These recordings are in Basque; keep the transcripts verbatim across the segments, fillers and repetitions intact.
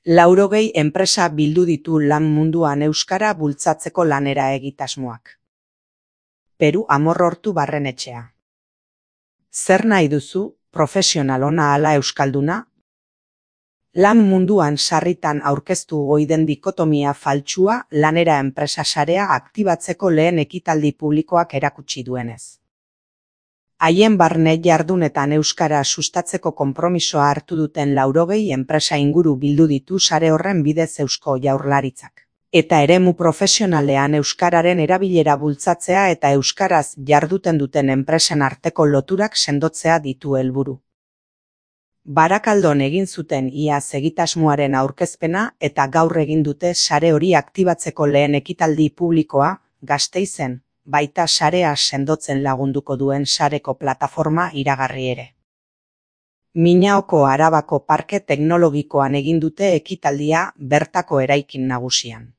Laurogei enpresa bildu ditu lan munduan euskara bultzatzeko lanera egitasmoak. Peru Amorrortu Barrenetxea. Zer nahi duzu, profesional ona ala euskalduna? Lan munduan sarritan aurkeztu oiden dikotomia faltsua lanera enpresa sarea aktibatzeko lehen ekitaldi publikoak erakutsi duenez. Haien barne jardunetan euskara sustatzeko konpromisoa hartu duten laurogei enpresa inguru bildu ditu sare horren bidez Eusko Jaurlaritzak. Eta eremu profesionalean euskararen erabilera bultzatzea eta euskaraz jarduten duten enpresen arteko loturak sendotzea ditu helburu. Barakaldon egin zuten iaz egitasmoaren aurkezpena eta gaur egin dute sare hori aktibatzeko lehen ekitaldi publikoa, Gasteizen, baita sarea sendotzen lagunduko duen sareko plataforma iragarri ere. Minaoko Arabako Parke Teknologikoan egin dute ekitaldia bertako eraikin nagusian.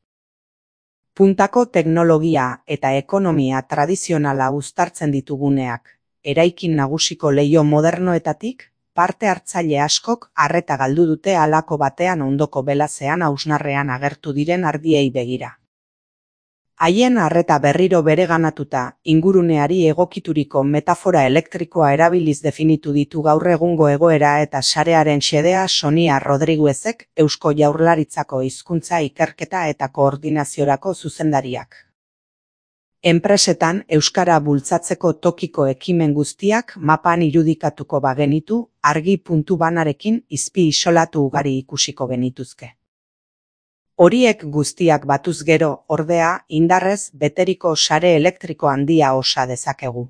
Puntako teknologia eta ekonomia tradizionala uztartzen dituguneak, eraikin nagusiko leiho modernoetatik, parte hartzaile askok arreta galdu dute halako batean ondoko belazean hausnarrean agertu diren ardiei begira. Haien arreta berriro bereganatuta, inguruneari egokituriko metafora elektrikoa erabiliz definitu ditu gaur egungo egoera eta sarearen xedea Sonia Rodriguezek, Eusko Jaurlaritzako hizkuntza ikerketa eta koordinaziorako zuzendariak. Enpresetan euskara bultzatzeko tokiko ekimen guztiak mapan irudikatuko bagenitu, argi puntu banarekin izpi isolatu ugari ikusiko genituzke. Horiek guztiak batuz gero, ordea, indarrez beteriko sare elektriko handia osa dezakegu.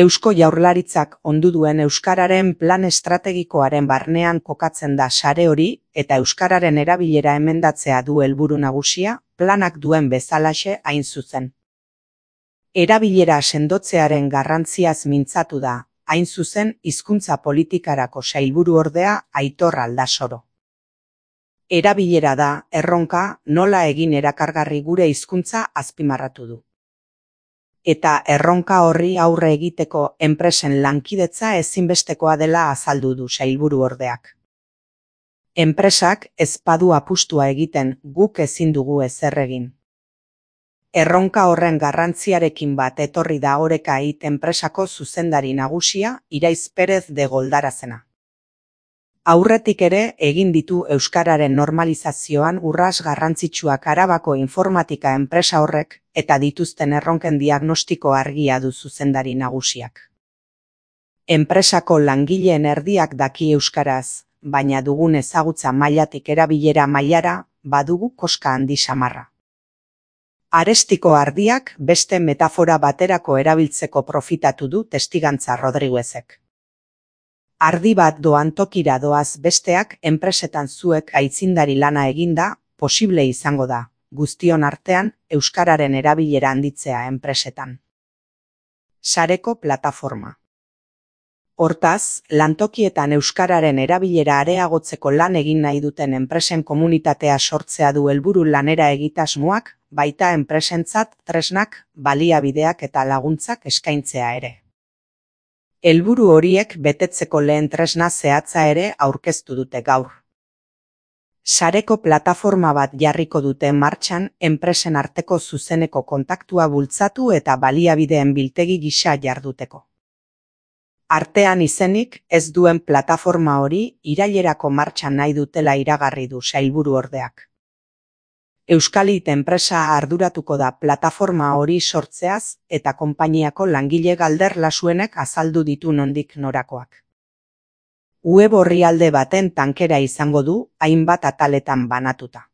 Eusko Jaurlaritzak ondu duen euskararen plan estrategikoaren barnean kokatzen da sare hori eta euskararen erabilera emendatzea du helburu nagusia, planak duen bezalaxe hain zuzen. Erabilera sendotzearen garrantziaz mintzatu da, hain zuzen hizkuntza politikarako sailburu ordea Aitor Aldasoro. Erabilera da, erronka, nola egin erakargarri gure hizkuntza azpimarratu du. Eta erronka horri aurre egiteko enpresen lankidetza ezinbestekoa dela azaldu du sailburu ordeak. Enpresak ez badu apustua egiten guk ezin dugu ezer egin. Erronka horren garrantziarekin bat etorri da Oreka It enpresako zuzendari nagusia Iraiz Perez de Goldarazena. Aurretik ere egin ditu euskararen normalizazioan urras garrantzitsuak Arabako informatika enpresa horrek eta dituzten erronken diagnostiko argia du zuzendari nagusiak. Enpresako langileen erdiak daki euskaraz, baina dugun ezagutza mailatik erabilera mailara badugu koska handi samarra. Arestiko ardiak beste metafora baterako erabiltzeko profitatu du testigantza Rodriguezek. Ardi bat doan tokira doaz besteak enpresetan zuek aitzindari lana eginda, posible izango da, guztion artean euskararen erabilera handitzea enpresetan. Sareko plataforma. Hortaz, lantokietan euskararen erabilera areagotzeko lan egin nahi duten enpresen komunitatea sortzea du helburu lanera egitasmoak, baita enpresentzat tresnak, baliabideak eta laguntzak eskaintzea ere. Helburu horiek betetzeko lehen tresna zehatza ere aurkeztu dute gaur. Sareko plataforma bat jarriko dute martxan enpresen arteko zuzeneko kontaktua bultzatu eta baliabideen biltegi gisa jarduteko. Artean izenik ez duen plataforma hori irailerako martxan nahi dutela iragarri du sailburu ordeak. Euskalit enpresa arduratuko da plataforma hori sortzeaz eta konpainiako langile galder lasuenek azaldu ditu nondik norakoak. Web orrialde baten tankera izango du, hainbat ataletan banatuta.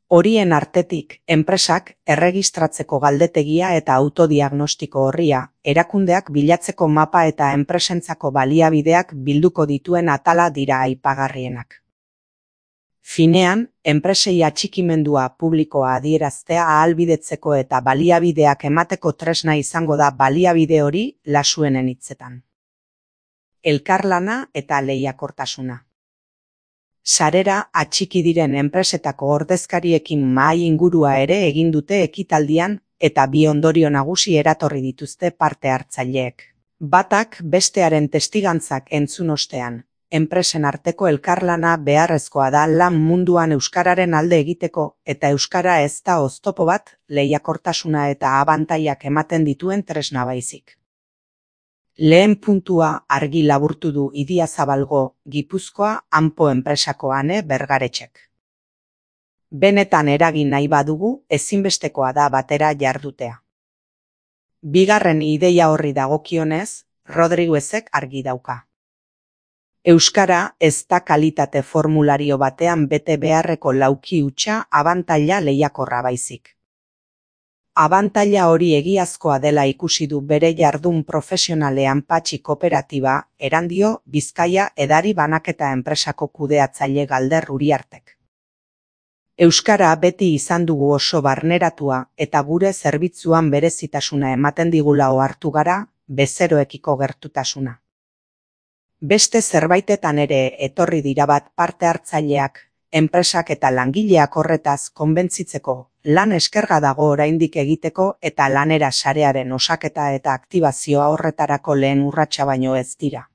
Horien artetik, enpresak erregistratzeko galdetegia eta autodiagnostiko horria, erakundeak bilatzeko mapa eta enpresentzako baliabideak bilduko dituen atala dira aipagarrienak. Finean, enpresei atxikimendua publikoa adieraztea ahalbidetzeko eta baliabideak emateko tresna izango da baliabide hori lasuenen hitzetan. Elkarlana eta lehiakortasuna. Sarera atxiki diren enpresetako ordezkariekin mahai ingurua ere egin dute ekitaldian eta bi ondorio nagusi eratorri dituzte parte hartzaileek. Batak bestearen testigantzak entzun ostean, enpresen arteko elkarlana beharrezkoa da lan munduan euskararen alde egiteko eta euskara ez da oztopo bat lehiakortasuna eta abantailak ematen dituen tresna baizik. Lehen puntua argi laburtu du Idiazabalgo, Gipuzkoa, Anpo enpresako Ane Bergaretxek. Benetan eragin nahi badugu, ezinbestekoa da batera jardutea. Bigarren ideia horri dagokionez, Rodriguezek argi dauka. Euskara ez da kalitate formulario batean bete beharreko lauki hutsa abantaila lehiakorra baizik. Abantaila hori egiazkoa dela ikusi du bere jardun profesionalean Patxi Kooperatiba, Erandio, Bizkaia edari banaketa enpresako kudeatzaile Galder Uriartek. Euskara beti izan dugu oso barneratua eta gure zerbitzuan berezitasuna ematen digula ohartu gara, bezeroekiko gertutasuna. Beste zerbaitetan ere etorri dira bat parte hartzaileak, enpresak eta langileak horretaz konbentzitzeko, lan eskerga dago oraindik egiteko eta lanera sarearen osaketa eta aktibazioa horretarako lehen urratsa baino ez dira.